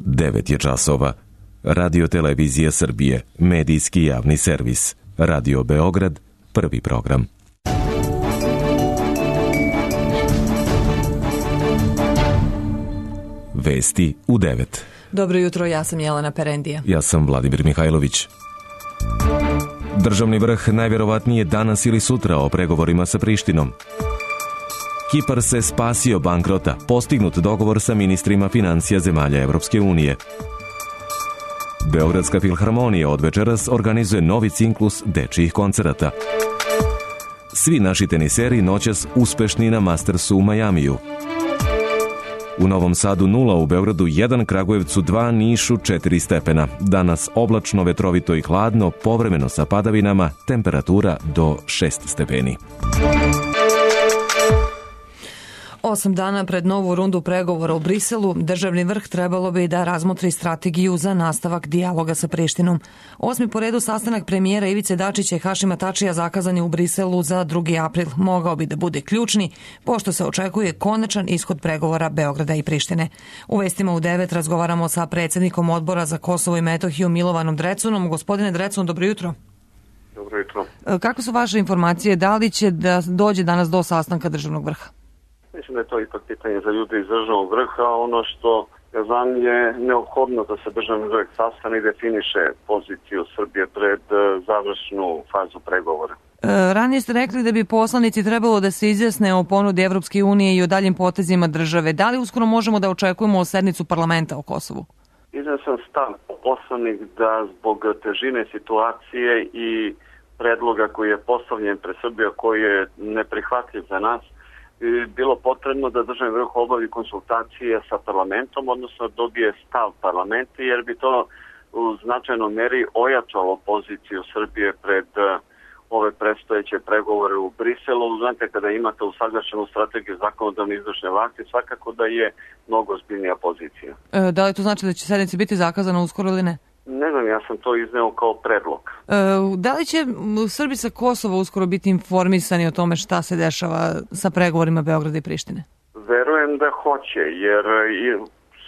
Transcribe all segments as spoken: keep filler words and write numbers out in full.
devet je časova. Radio Televizija Srbije, medijski javni servis. Radio Beograd, prvi program. Vesti u devet. Dobro jutro, ja sam Jelena Perendija. Ja sam Vladimir Mihajlović. Državni vrh najvjerovatnije danas ili sutra o pregovorima sa Prištinom. Kipar se spasio bankrota, postignut dogovor sa ministrima financija zemalja Evropske unije. Beogradska filharmonija od večeras organizuje novi ciklus dečijih koncerata. Svi naši teniseri noćas uspešni na Mastersu u Majamiju. U Novom Sadu nula, u Beogradu jedan, Kragujevcu dva, Nišu četiri stepena. Danas oblačno, vetrovito i hladno, povremeno sa padavinama, temperatura do šest stepeni. Osam dana pred novu rundu pregovora u Briselu, državni vrh trebalo bi da razmotri strategiju za nastavak dijaloga sa Prištinom. Osmi po redu sastanak premijera Ivice Dačića i Hašima Tačija zakazan je u Briselu za drugi april. Mogao bi da bude ključni, pošto se očekuje konačan ishod pregovora Beograda i Prištine. U vestima u devet razgovaramo sa predsjednikom Odbora za Kosovo i Metohiju Milovanom Drecunom. Gospodine Drecun, dobro jutro. Dobro jutro. Kakve su vaše informacije? Da li će da dođe danas do sastanka državnog vrha? Mislim da je to ipak pitanje za ljude iz državnog vrha. Ono što ja znam je neophodno da se državni vrh sastane i definiše poziciju Srbije pred završnu fazu pregovora. E, ranije ste rekli da bi poslanici trebalo da se izjasne o ponudi Evropske unije i o daljim potezima države. Da li uskoro možemo da očekujemo sednicu parlamenta o Kosovu? Izneo sam stav poslanik da zbog težine situacije i predloga koji je postavljen pred Srbiju, koji je neprihvatljiv za nas, bilo potrebno da državni vrh obavi konsultacije sa parlamentom, odnosno dobije stav parlamenta, jer bi to u značajnoj meri ojačalo poziciju Srbije pred ove predstojeće pregovore u Briselu. Znate, kada imate usaglašenu strategiju zakonodavne izvršne vlasti, svakako da je mnogo ozbiljnija pozicija. E, da li to znači da će sednica biti zakazana uskoro ili ne? Ne znam, ja sam to izneo kao predlog. E, da li će Srbi sa Kosova uskoro biti informisani o tome šta se dešava sa pregovorima Beograda i Prištine? Verujem da hoće, jer i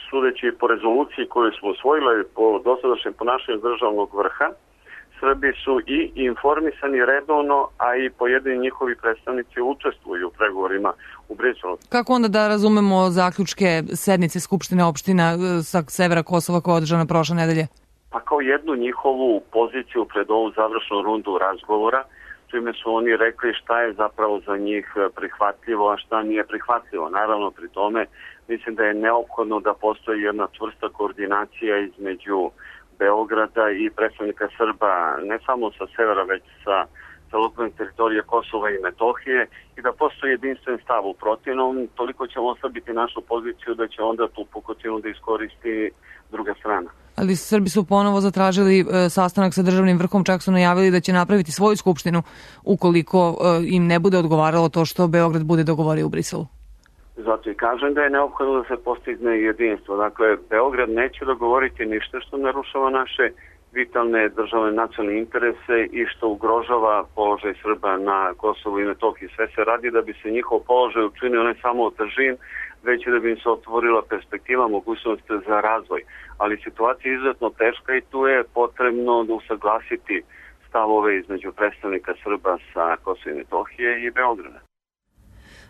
sudeći po rezoluciji koju smo usvojili po dosadašnjem ponašanju državnog vrha, Srbi su i informisani redovno, a i pojedini njihovi predstavnici učestvuju u pregovorima u Briselu. Kako onda da razumemo zaključke sednice Skupštine opština sa severa Kosova koja je održana prošle nedelje? Pa kao jednu njihovu poziciju pred ovu završnu rundu razgovora, čime su oni rekli šta je zapravo za njih prihvatljivo, a šta nije prihvatljivo. Naravno, pri tome mislim da je neophodno da postoji jedna čvrsta koordinacija između Beograda i predstavnika Srba, ne samo sa severa, već sa celokupne teritorije Kosova i Metohije, i da postoji jedinstven stav. U protivnom, toliko ćemo oslabiti našu poziciju da će onda tu pukotinu da iskoristi druga strana. Ali Srbi su ponovo zatražili e, sastanak sa državnim vrhom, čak su najavili da će napraviti svoju skupštinu ukoliko e, im ne bude odgovaralo to što Beograd bude dogovorio u Briselu. Zato i kažem da je neophodno da se postigne jedinstvo. Dakle, Beograd neće dogovoriti ništa što narušava naše vitalne državne nacionalne interese i što ugrožava položaj Srba na Kosovu i Metohiji. Sve se radi da bi se njihov položaj učinio ne samo otežin, već i da bi im se otvorila perspektiva, mogućnost za razvoj. Ali situacija je izuzetno teška i tu je potrebno da usaglasiti stavove između predstavnika Srba sa Kosova i Metohije i Beograda.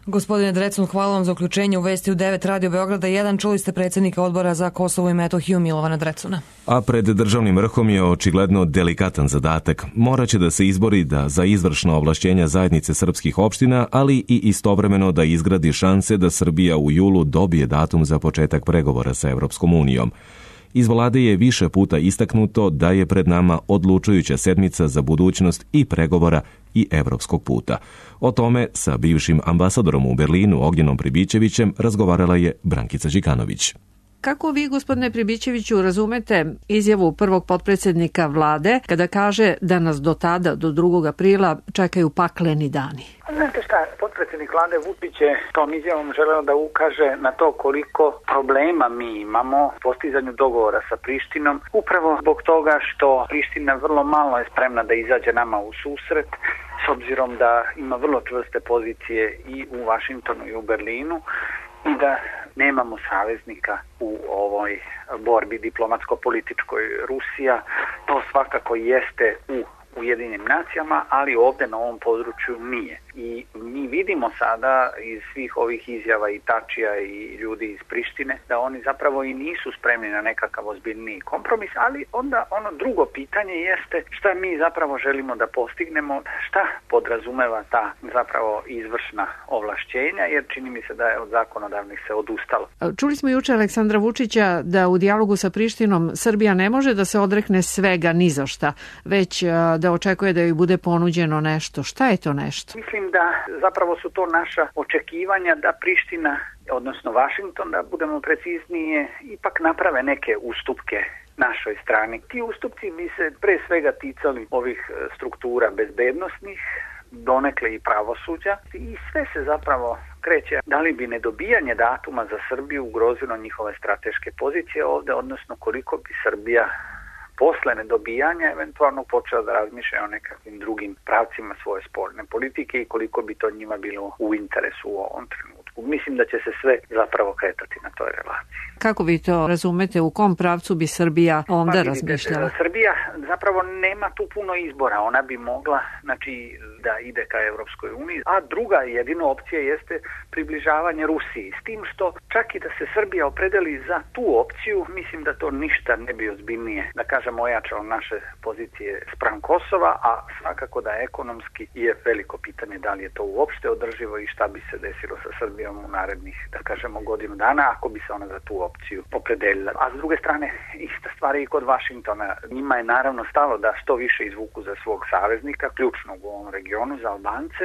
Gospodine Drecun, hvala vam za uključenje u Vesti u devet Radio Beograda jedan. Čuli ste predsjednika Odbora za Kosovo i Metohiju Milovana Drecuna. A pred državnim vrhom je očigledno delikatan zadatak. Moraće da se izbori da za izvršna ovlašćenja zajednice srpskih opština, ali i istovremeno da izgradi šanse da Srbija u julu dobije datum za početak pregovora sa Evropskom unijom. Iz vlade je više puta istaknuto da je pred nama odlučujuća sedmica za budućnost i pregovora i evropskog puta. O tome sa bivšim ambasadorom u Berlinu Ognjenom Pribićevićem razgovarala je Brankica Đikanović. Kako vi, gospodine Pribićeviću, razumete izjavu prvog potpredsjednika vlade kada kaže da nas do tada, do drugog aprila, čekaju pakleni dani? Znate šta, potpredsjednik vlade Vučić je tom izjavom želeo da ukaže na to koliko problema mi imamo u postizanju dogovora sa Prištinom, upravo zbog toga što Priština vrlo malo je spremna da izađe nama u susret, s obzirom da ima vrlo čvrste pozicije i u Vašingtonu i u Berlinu, i da nemamo saveznika u ovoj borbi diplomatsko-političkoj. Rusija to svakako jeste u Ujedinjenim nacijama, ali ovdje na ovom području nije. I mi vidimo sada iz svih ovih izjava i Tačija i ljudi iz Prištine da oni zapravo i nisu spremni na nekakav ozbiljniji kompromis, ali onda ono drugo pitanje jeste šta mi zapravo želimo da postignemo, šta podrazumeva ta zapravo izvršna ovlašćenja, jer čini mi se da je od zakonodavnih se odustalo. Čuli smo juče Aleksandra Vučića da u dijalogu sa Prištinom Srbija ne može da se odrekne svega ni za šta, već da očekuje da joj bude ponuđeno nešto. Šta je to nešto? Mislim da zapravo su to naša očekivanja da Priština, odnosno Vašington, da budemo preciznije, ipak naprave neke ustupke našoj strani. Ti ustupci bi se pre svega ticali ovih struktura bezbednosnih, donekle i pravosuđa, i sve se zapravo kreće da li bi nedobijanje datuma za Srbiju ugrozilo njihove strateške pozicije ovde, odnosno koliko bi Srbija posle nedobijanja eventualno počela da razmišlja o nekakvim drugim pravcima svoje spoljne politike i koliko bi to njima bilo u interesu u ovom trenutku. Mislim da će se sve zapravo kretati na toj relaciji. Kako vi to razumete, u kom pravcu bi Srbija onda pa, vidite, razmišljala? Srbija zapravo nema tu puno izbora. Ona bi mogla, znači, da ide ka Evropskoj uniji, a druga jedina opcija jeste približavanje Rusiji. S tim što čak i da se Srbija opredeli za tu opciju, mislim da to ništa ne bi ozbiljnije, da kažem, ojačalo naše pozicije spram Kosova, a svakako da ekonomski je veliko pitanje da li je to uopšte održivo i šta bi se desilo sa Srbijom u narednih, da kažemo, godinu dana ako bi se ona za tu opciju opredelila. A s druge strane, ista stvar je i kod Vašingtona. Njima je naravno stalo da što više izvuku za svog saveznika, ključnog u ovom regionu, za Albance,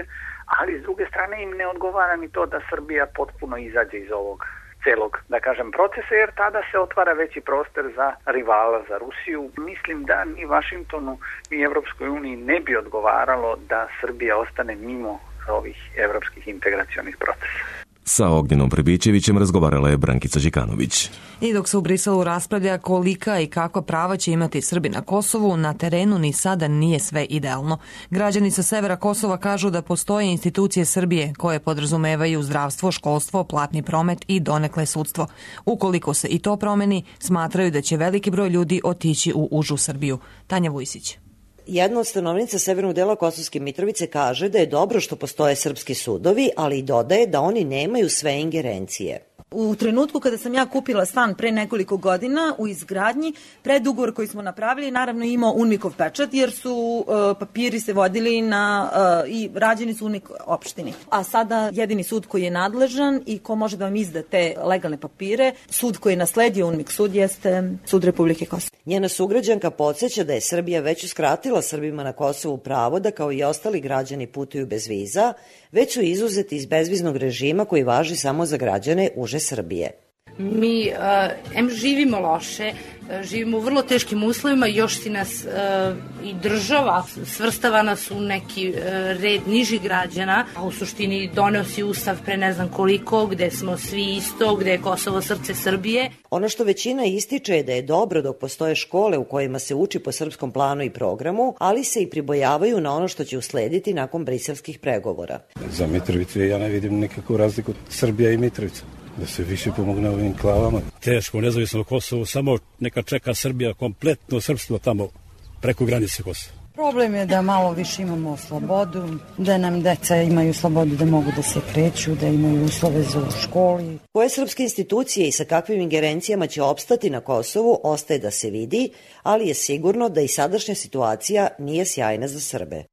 ali s druge strane im ne odgovara ni to da Srbija potpuno izađe iz ovog celog, da kažem, procesa, jer tada se otvara veći prostor za rivala, za Rusiju. Mislim da ni Vašingtonu, ni Evropskoj uniji ne bi odgovaralo da Srbija ostane mimo ovih evropskih integracionih procesa. Sa Ognjenom Prebićevićem razgovarala je Brankica Đikanović. I dok se u Briselu raspravlja kolika i kakva prava će imati Srbi na Kosovu, na terenu ni sada nije sve idealno. Građani sa severa Kosova kažu da postoje institucije Srbije koje podrazumevaju zdravstvo, školstvo, platni promet i donekle sudstvo. Ukoliko se i to promeni, smatraju da će veliki broj ljudi otići u užu Srbiju. Tanja Vujsić. Jedna od stanovnica severnog dela Kosovske Mitrovice kaže da je dobro što postoje srpski sudovi, ali i dodaje da oni nemaju sve ingerencije. U trenutku kada sam ja kupila stan pre nekoliko godina u izgradnji, predugovor koji smo napravili naravno imao UNMIK-ov pečat jer su uh, papiri se vodili na, uh, i rađeni su UNMIK opštini. A sada jedini sud koji je nadležan i ko može da vam izda te legalne papire, sud koji je nasledio UNMIK sud jeste Sud Republike Kosovo. Njena sugrađanka podsjeća da je Srbija već uskratila Srbima na Kosovu pravo da kao i ostali građani putuju bez viza, već su izuzeti iz bezviznog režima koji važi samo za građane uže Srbije. Mi uh, em živimo loše, uh, živimo u vrlo teškim uslovima, još si nas uh, i država svrstava nas u neki uh, red nižih građana, a u suštini doneo si ustav pre ne znam koliko, gde smo svi isto, gde je Kosovo srce Srbije. Ono što većina ističe je da je dobro dok postoje škole u kojima se uči po srpskom planu i programu, ali se i pribojavaju na ono što će uslediti nakon briselskih pregovora. Za Mitrovicu ja ne vidim nikakvu razliku Srbija i Mitrovica. Da se više pomogne ovim klavama. Teško, nezavisno Kosovo, samo neka čeka Srbija kompletno srpstvo tamo preko granice Kosova. Problem je da malo više imamo slobodu, da nam deca imaju slobodu da mogu da se kreću, da imaju uslove za u školi. Koje srpske institucije i sa kakvim ingerencijama će opstati na Kosovu ostaje da se vidi, ali je sigurno da i sadašnja situacija nije sjajna za Srbe.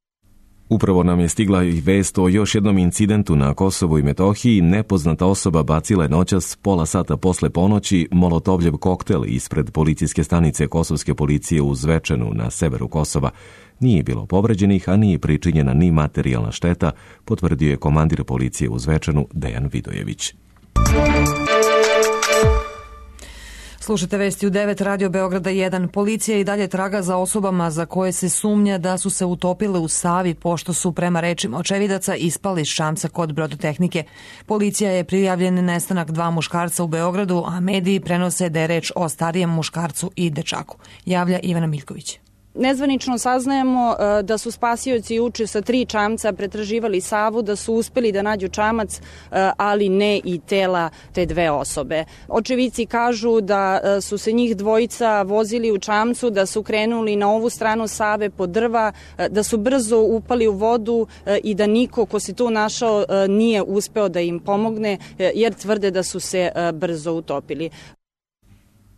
Upravo nam je stigla i vest o još jednom incidentu na Kosovu i Metohiji. Nepoznata osoba bacila je noćas pola sata posle ponoći molotovljev koktel ispred policijske stanice kosovske policije u Zvečanu na severu Kosova. Nije bilo povređenih, a nije pričinjena ni materijalna šteta, potvrdio je komandir policije u Zvečanu Dejan Vidojević. Slušajte vesti u devet, Radio Beograda jedan. Policija i dalje traga za osobama za koje se sumnja da su se utopile u Savi pošto su, prema rečima očevidaca, ispali iz šamca kod brodotehnike. Policija je prijavljen nestanak dva muškarca u Beogradu, a mediji prenose da je reč o starijem muškarcu i dečaku. Javlja Ivana Miljković. Nezvanično saznajemo da su spasioci juče sa tri čamca pretraživali Savu, da su uspeli da nađu čamac, ali ne i tela te dve osobe. Očevici kažu da su se njih dvojica vozili u čamcu, da su krenuli na ovu stranu Save po drva, da su brzo upali u vodu i da niko ko se tu našao nije uspeo da im pomogne, jer tvrde da su se brzo utopili.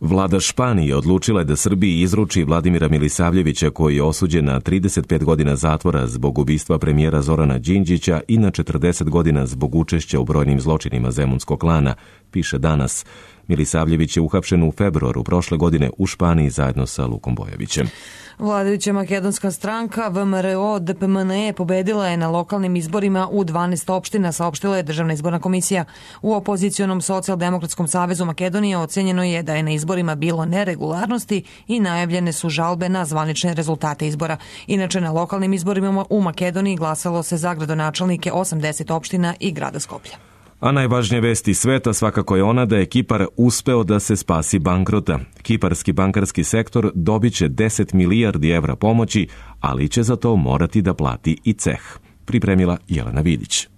Vlada Španije odlučila je da Srbiji izruči Vladimira Milisavljevića, koji je osuđen na trideset pet godina zatvora zbog ubistva premijera Zorana Đinđića i na četrdeset godina zbog učešća u brojnim zločinima Zemunskog klana, piše Danas. Milisavljević je uhapšen u februaru prošle godine u Španiji zajedno sa Lukom Bojovićem. Vladajuća makedonska stranka V M R O D P M N E pobedila je na lokalnim izborima u dvanaest opština, saopštila je Državna izborna komisija. U opozicionom Socijaldemokratskom savezu Makedonije ocenjeno je da je na izborima bilo neregularnosti i najavljene su žalbe na zvanične rezultate izbora. Inače, na lokalnim izborima u Makedoniji glasalo se za gradonačelnike osamdeset opština i grada Skoplja. A najvažnija vest iz sveta svakako je ona da je Kipar uspeo da se spasi bankrota. Kiparski bankarski sektor dobit će deset milijardi evra pomoći, ali će za to morati da plati i ceh. Pripremila Jelena Vidić.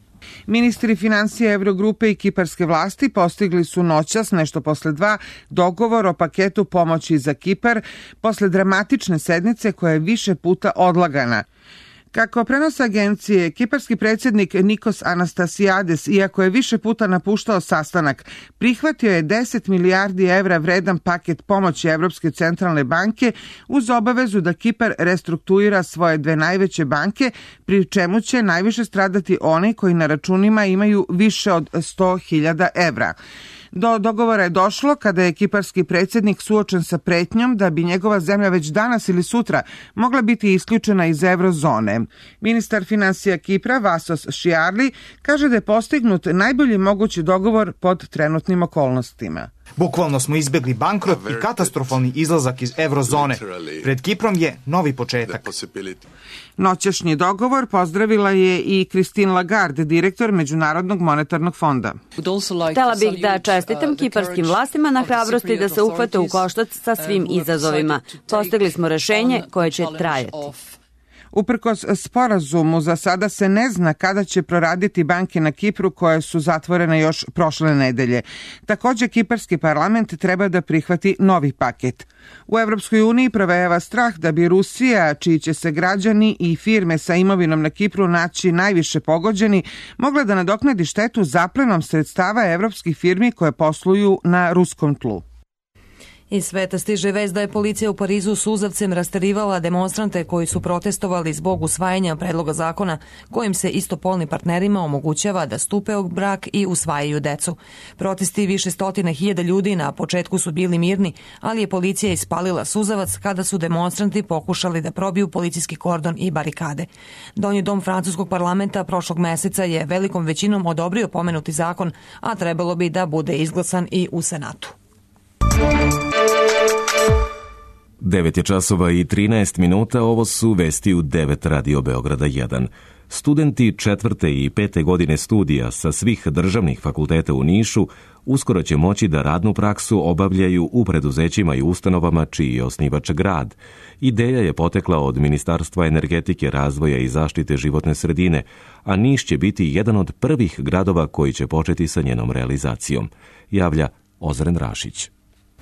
Ministri financija Evrogrupe i kiparske vlasti postigli su noćas, nešto posle dva, dogovor o paketu pomoći za Kipar posle dramatične sednice koja je više puta odlagana. Kako prenosa agencije, kiparski predsjednik Nikos Anastasiades, iako je više puta napuštao sastanak, prihvatio je deset milijardi evra vredan paket pomoći Evropske centralne banke uz obavezu da Kipar restrukturira svoje dve najveće banke, pri čemu će najviše stradati oni koji na računima imaju više od sto hiljada evra. Do dogovora je došlo kada je kiparski predsjednik suočen sa pretnjom da bi njegova zemlja već danas ili sutra mogla biti isključena iz eurozone. Ministar finansija Kipra Vasos Šiarli kaže da je postignut najbolji mogući dogovor pod trenutnim okolnostima. Bukvalno smo izbjegli bankrot i katastrofalni izlazak iz eurozone. Pred Kiprom je novi početak. Noćašnji dogovor pozdravila je i Christine Lagarde, direktor Međunarodnog monetarnog fonda. Htela bih da čestitam kiparskim vlastima na hrabrosti da se uhvate u koštac sa svim izazovima. Postigli smo rešenje koje će trajati. Uprkos sporazumu, za sada se ne zna kada će proraditi banke na Kipru koje su zatvorene još prošle nedelje. Također, kiparski parlament treba da prihvati novi paket. U Evropskoj uniji provejava strah da bi Rusija, čiji će se građani i firme sa imovinom na Kipru naći najviše pogođeni, mogla da nadoknadi štetu zaplenom sredstava evropskih firmi koje posluju na ruskom tlu. Iz sveta stiže vest da je policija u Parizu suzavcem rasterivala demonstrante koji su protestovali zbog usvajanja predloga zakona kojim se istopolnim partnerima omogućava da stupe u brak i usvajaju decu. Protesti više stotina hiljada ljudi na početku su bili mirni, ali je policija ispalila suzavac kada su demonstranti pokušali da probiju policijski kordon i barikade. Donji dom francuskog parlamenta prošlog meseca je velikom većinom odobrio pomenuti zakon, a trebalo bi da bude izglasan i u Senatu. devet je časova i trinaest minuta, ovo su vesti u devet Radio Beograda jedan. Studenti četvrte i pete godine studija sa svih državnih fakulteta u Nišu uskoro će moći da radnu praksu obavljaju u preduzećima i ustanovama čiji je osnivač grad. Ideja je potekla od Ministarstva energetike, razvoja i zaštite životne sredine, a Niš će biti jedan od prvih gradova koji će početi sa njenom realizacijom, javlja Ozren Rašić.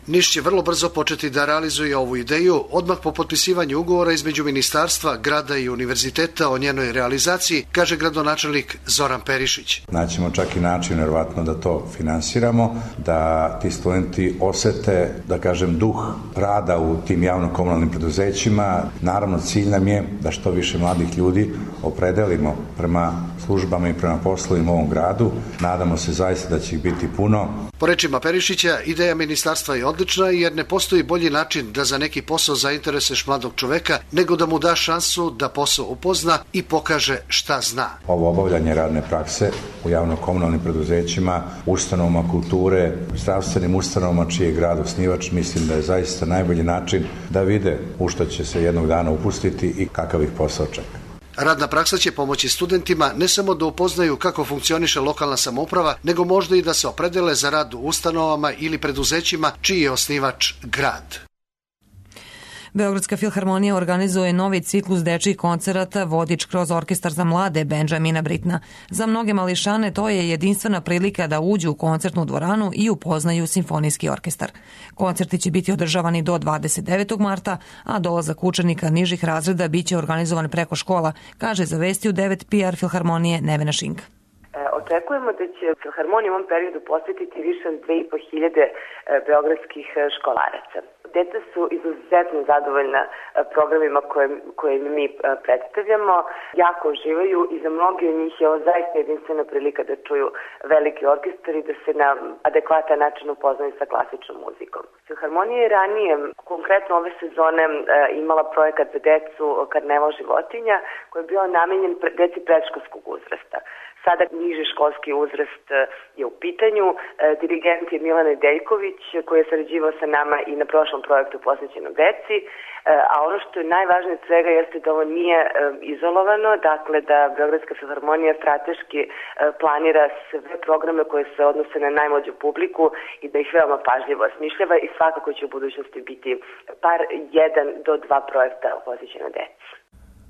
Niš će vrlo brzo početi da realizuje ovu ideju odmah po potpisivanju ugovora između ministarstva, grada i univerziteta o njenoj realizaciji, kaže gradonačelnik Zoran Perišić. Naćemo čak i način, vjerovatno, da to finansiramo, da ti studenti osete, da kažem, duh rada u tim javno-komunalnim preduzećima. Naravno, cilj nam je da što više mladih ljudi opredelimo prema službama i prema poslovima u ovom gradu. Nadamo se zaista da će ih biti puno. Po rečima Perišića, ideja ministarstva je odlična jer ne postoji bolji način da za neki posao zainteresuješ mladog čoveka nego da mu da šansu da posao upozna i pokaže šta zna. Ovo obavljanje radne prakse u javno-komunalnim preduzećima, ustanovama kulture, zdravstvenim ustanovama čiji je grad osnivač, mislim da je zaista najbolji način da vide u što će se jednog dana upustiti i kakav ih posao čeka. Radna praksa će pomoći studentima ne samo da upoznaju kako funkcioniše lokalna samouprava, nego možda i da se opredele za rad u ustanovama ili preduzećima čiji je osnivač grad. Beogradska filharmonija organizuje novi ciklus dečjih koncerata Vodič kroz orkestar za mlade Benjamina Britna. Za mnoge mališane to je jedinstvena prilika da uđu u koncertnu dvoranu i upoznaju simfonijski orkestar. Koncerti će biti održavani do dvadeset devetog marta, a dolazak učenika nižih razreda biće organizovan preko škola, kaže za Vesti u devet P R Filharmonije Nevena Šinka. Očekujemo da će Filharmonija u ovom periodu posvetiti više od dve i po hiljade beogradskih školaraca. Deca su izuzetno zadovoljna programima koje, koje mi predstavljamo, jako uživaju i za mnogi od njih je ovo zaista jedinstvena prilika da čuju veliki orkestar i da se na adekvatan način upoznaju sa klasičnom muzikom. Filharmonija je ranije, konkretno ove sezone, imala projekat za decu Karneval životinja koji je bio namenjen deci predškolskog uzrasta. Sada niži školski uzrast je u pitanju. Dirigent je Milan Nedeljković koji je sarađivao sa nama i na prošlom projektu posvećenom deci. A ono što je najvažnije od svega jeste da ovo nije izolovano, dakle da Beogradska filharmonija strateški planira sve programe koje se odnose na najmlađu publiku i da ih veoma pažljivo osmišljava i svakako će u budućnosti biti par jedan do dva projekta posvećena deci.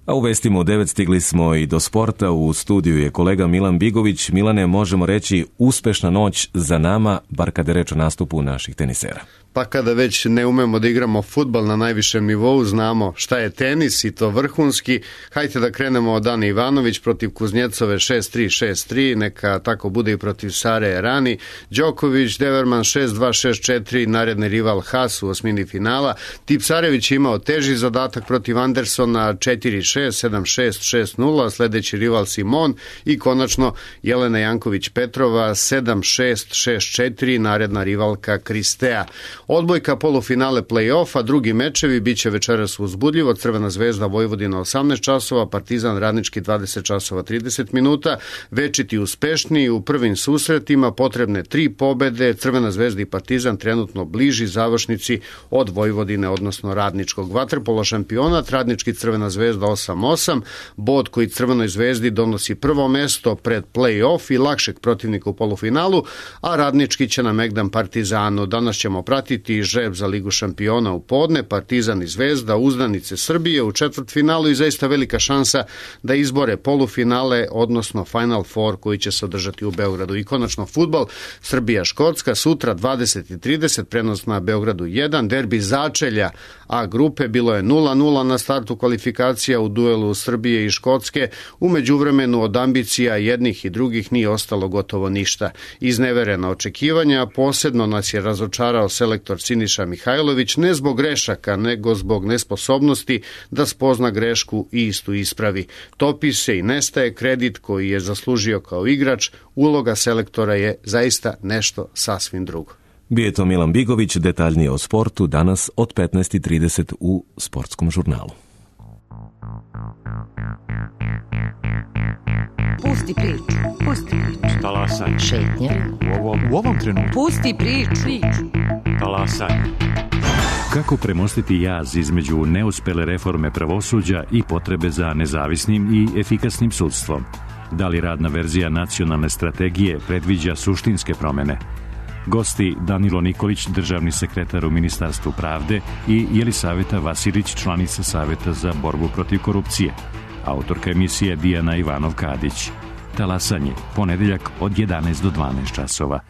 A u Vestima u devet stigli smo i do sporta. U studiju je kolega Milan Bigović. Milane, možemo reći uspešna noć za nama, bar kada je reč o nastupu naših tenisera. Pa kada već ne umemo da igramo fudbal na najvišem nivou, znamo šta je tenis i to vrhunski. Hajde da krenemo od Ane Ivanović protiv Kuznjecove šest tri šest tri, neka tako bude i protiv Sare Errani. Đoković, Deverman šest dva šest četiri, naredni rival Haas u osmini finala. Tipsarević je imao teži zadatak protiv Andersona četiri šest sedam šest šest nula, sledeći rival Simon i konačno Jelena Janković-Petrova sedam šest šest četiri, naredna rivalka Kristea. Odbojka polufinale play-offa, drugi mečevi biće večeras uzbudljivo. Crvena zvezda Vojvodina osamnaest časova, Partizan Radnički dvadeset časova trideset minuta. Večiti uspešniji u prvim susretima, potrebne tri pobede. Crvena zvezda i Partizan trenutno bliži završnici od Vojvodine, odnosno Radničkog. Vaterpolo šampionat, Radnički Crvena zvezda osam osam, bod koji Crvenoj zvezdi donosi prvo mesto pred play-off i lakšeg protivnika u polufinalu, a Radnički će na Megdan Partizanu. Danas ćemo pratiti žreb za Ligu šampiona u podne, Partizan i Zvezda, uzdanice Srbije u četvrtfinalu i zaista velika šansa da izbore polufinale, odnosno Final Four koji će se održati u Beogradu. I konačno fudbal, Srbija-Škotska, sutra dvadeset i trideset, prenos na Beogradu jedan, derbi začelja A grupe, bilo je nula nula na startu kvalifikacija u duelu Srbije i Škotske. U međuvremenu od ambicija jednih i drugih nije ostalo gotovo ništa. Izneverena očekivanja, posebno nas je razočarao selektor Siniša Mihajlović, ne zbog grešaka, nego zbog nesposobnosti da spozna grešku i istu ispravi. Topi se i nestaje kredit koji je zaslužio kao igrač, uloga selektora je zaista nešto sasvim drugo. Bio je to Milan Bigović, detaljnije o sportu danas od petnaest i trideset u Sportskom žurnalu. Pusti priču, pusti priču. Talasaj. Šetnja. U ovom, u ovom trenutku. Pusti priču. priču. Talasaj. Kako premostiti jaz između neuspele reforme pravosuđa i potrebe za nezavisnim i efikasnim sudstvom? Da li radna verzija nacionalne strategije predviđa suštinske promene? Gosti Danilo Nikolić, državni sekretar u Ministarstvu pravde, i Jelisaveta Vasilić, članica Saveta za borbu protiv korupcije. Autorka emisije Dijana Ivanov-Kadić. Talasanje, ponedeljak od jedanaest do dvanaest časova.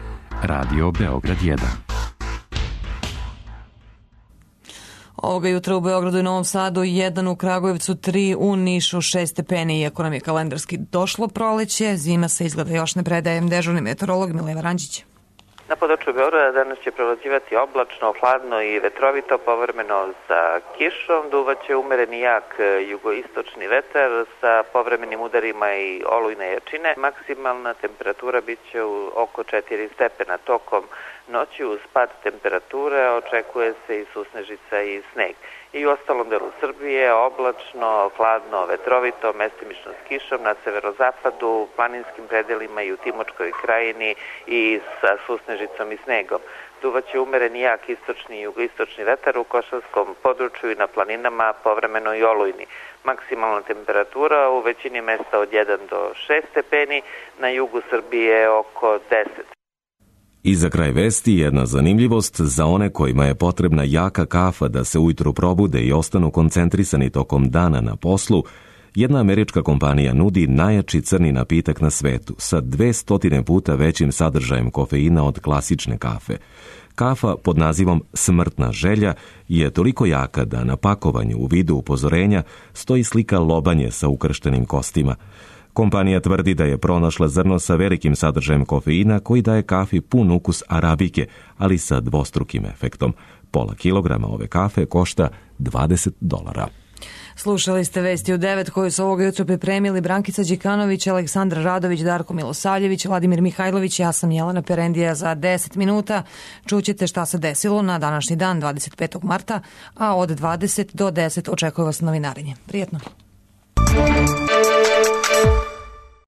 Radio Beograd jedan. Ovoga jutra u Beogradu i Novom Sadu, jedan u Kragujevcu, tri u Nišu, šest stepeni. Iako nam je kalendarski došlo proleće, zima se izgleda još ne predaje. Dežurni meteorolog Mileva Ranđić. Na području Beograda danas će prevlađivati oblačno, hladno i vetrovito, povremeno sa kišom. Duvaće umereni jak jugoistočni vetar sa povremenim udarima i olujne jačine. Maksimalna temperatura bit će u oko četiri stepena. Tokom noći uz pad temperature očekuje se i susnežica i sneg. I u ostalom delu Srbije oblačno, hladno, vetrovito, mestimično s kišom na severozapadu, planinskim predelima i u Timočkoj krajini i sa susnežicom i snegom. Duvaće umereni jak istočni i jugoistočni vetar u Košarskom području i na planinama, povremeno i olujni. Maksimalna temperatura u većini mesta od jedan do šest stepeni, na jugu Srbije oko deset. I za kraj vesti jedna zanimljivost za one kojima je potrebna jaka kafa da se ujutru probude i ostanu koncentrisani tokom dana na poslu. Jedna američka kompanija nudi najjači crni napitak na svetu sa dvesta puta većim sadržajem kofeina od klasične kafe. Kafa pod nazivom Smrtna želja je toliko jaka da na pakovanju u vidu upozorenja stoji slika lobanje sa ukrštenim kostima. Kompanija tvrdi da je pronašla zrno sa velikim sadržajem kofeina koji daje kafi pun ukus arabike, ali sa dvostrukim efektom. Pola kilograma ove kafe košta dvadeset dolara. Slušali ste vesti u devet koju su ovoga jutra pripremili Brankica Đikanović, Aleksandra Radović, Darko Milosavljević, Vladimir Mihajlović, ja sam Jelena Perendija. Za deset minuta čućete šta se desilo na današnji dan, dvadeset petog marta, a od dvadeset do deset očekuje vas novinarenje. Prijetno.